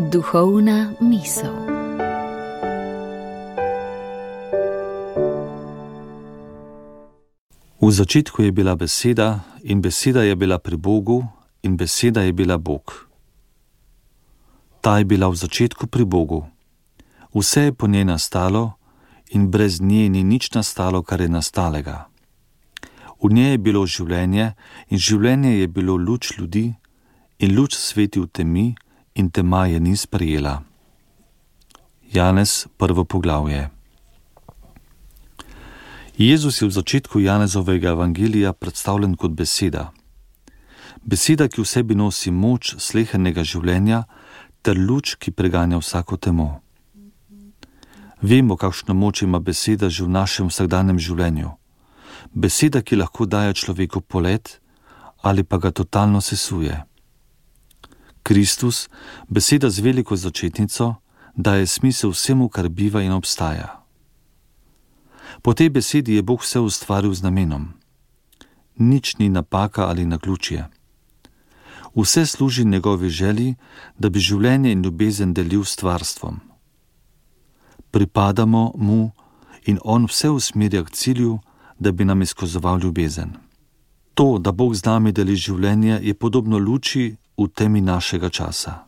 Duhovna misel. V začetku je bila beseda in beseda je bila pri Bogu in beseda je bila Bog. Ta je bila v začetku pri Bogu. Vse je po njej nastalo in brez nje ni nič nastalo, kar je nastalega. V njej je bilo življenje in življenje je bilo luč ljudi in luč sveti v temi in tema je ni sprejela. Janez, 1. poglavje. Jezus je v začetku Janezovega evangelija predstavljen kot beseda. Beseda, ki v sebi nosi moč slehernega življenja ter luč, ki preganja vsako temo. Vemo, kakšno moč ima beseda že v našem vsakdanjem življenju. Beseda, ki lahko daje človeku polet ali pa ga totalno sesuje. Kristus, beseda z veliko začetnico, daje smisel vsemu, kar biva in obstaja. Po tej besedi je Bog vse ustvaril z namenom. Nič ni napaka ali naključje. Vse služi njegovi želji, da bi življenje in ljubezen delil s stvarstvom. Pripadamo mu in on vse usmerja k cilju, da bi nam izkazoval ljubezen. To, da Bog z nami deli življenje, je podobno luči v temi našega časa.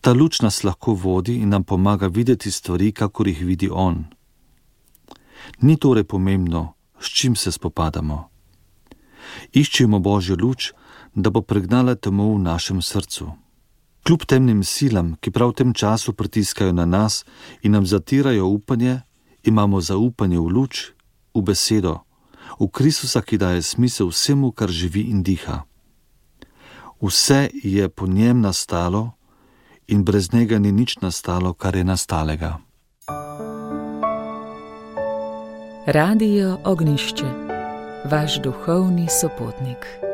Ta luč nas lahko vodi in nam pomaga videti stvari, kakor jih vidi on. Ni torej pomembno, s čim se spopadamo. Iščimo Božjo luč, da bo pregnala temo v našem srcu. Kljub temnim silam, ki prav v tem času pritiskajo na nas in nam zatirajo upanje, imamo zaupanje v luč, v besedo, v Kristusa, ki daje smisel vsemu, kar živi in diha. Vse je po njem nastalo in brez njega ni nič nastalo, kar je nastalega. Radio Ognjišče, vaš duhovni sopotnik.